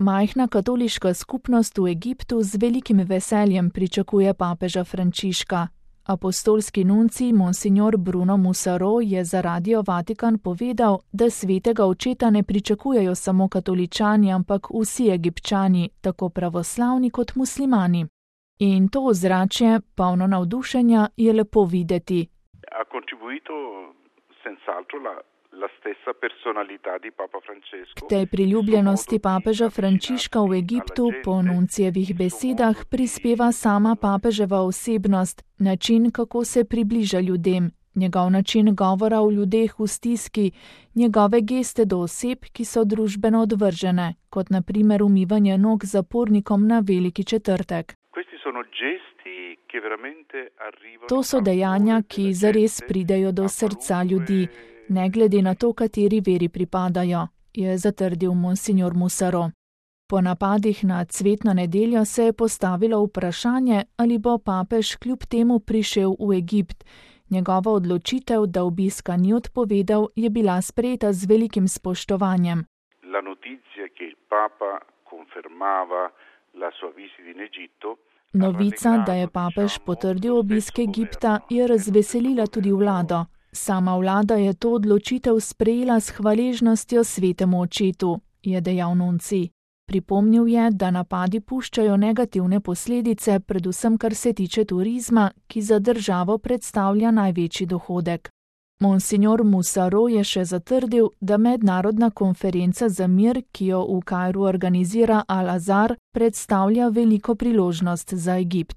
Majhna katoliška skupnost v Egiptu z velikim veseljem pričakuje papeža Frančiška. Apostolski nuncij monsignor Bruno Musaro je za Radio Vatikan povedal, da svetega očeta ne pričakujejo samo katoličani, ampak vsi Egipčani, tako pravoslavni kot muslimani. In to ozračje, polno navdušenja, je lepo videti. K tej priljubljenosti papeža Frančiška v Egiptu po nuncijevih besedah prispeva sama papeževa osebnost, način, kako se približa ljudem, njegov način govora o ljudeh v stiski, njegove geste do oseb, ki so družbeno odvržene, kot na primer umivanje nog zapornikom na Veliki četrtek. To so dejanja, ki zares pridejo do srca ljudi, ne glede na to, kateri veri pripadajo, je zatrdil monsignor Musaro. Po napadih na cvetno nedeljo se je postavilo vprašanje, ali bo papež kljub temu prišel v Egipt. Njegova odločitev, da obiska ni odpovedal, je bila sprejeta z velikim spoštovanjem. Novica, da je papež potrdil obisk Egipta, je razveselila tudi vlado. Sama vlada je to odločitev sprejela s hvaležnostjo svetemu očetu, je dejal nuncij. Pripomnil je, da napadi puščajo negativne posledice, predvsem kar se tiče turizma, ki za državo predstavlja največji dohodek. Monsignor Musaro je še zatrdil, da mednarodna konferenca za mir, ki jo v Kairu organizira Al-Azhar, predstavlja veliko priložnost za Egipt.